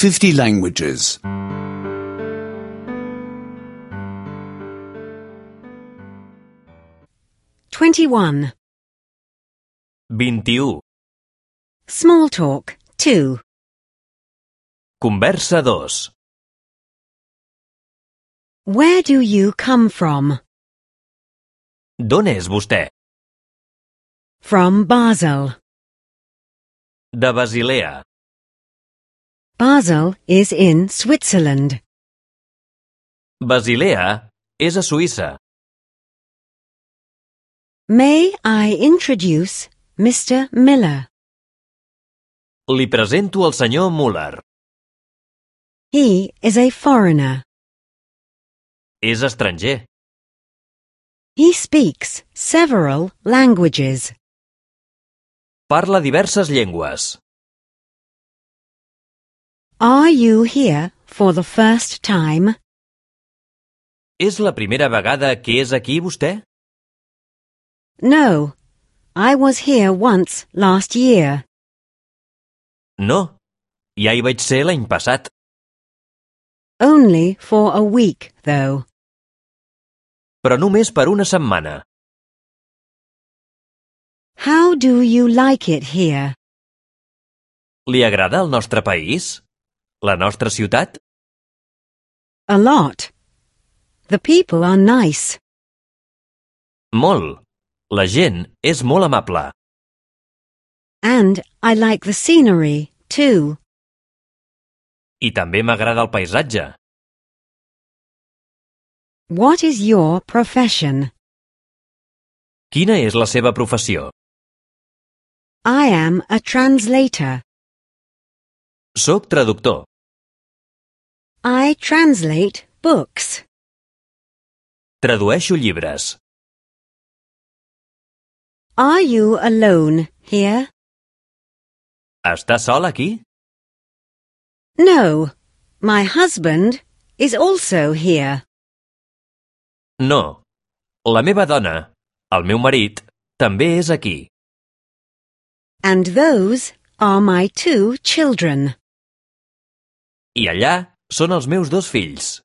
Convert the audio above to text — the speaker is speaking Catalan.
50 languages. 21. 21. Small talk 2. Conversa 2. Where do you come from? D'on és vostè? From Basel. De Basilea. Basel is in Switzerland. Basilea és a Suïssa. May I introduce Mr. Miller? Li presento el senyor Muller. He is a foreigner. És estranger. He speaks several languages. Parla diverses llengües. Are you here for the first time? És la primera vegada que és aquí vostè? No, I was here once last year. No, ja hi vaig ser l'any passat. Only for a week, though. Però només per una setmana. How do you like it here? Li agrada el nostre país? La nostra ciutat? A lot. The people are nice. Molt. La gent és molt amable. And I like the scenery, too. I també m'agrada el paisatge. What is your profession? Quina és la seva professió? I am a translator. Soc traductor. I translate books. Tradueixo llibres. Are you alone here? Està sol aquí? No, my husband is also here. No. La meva dona, el meu marit, també és aquí. And those are my 2 children. I allà són els meus 2 fills.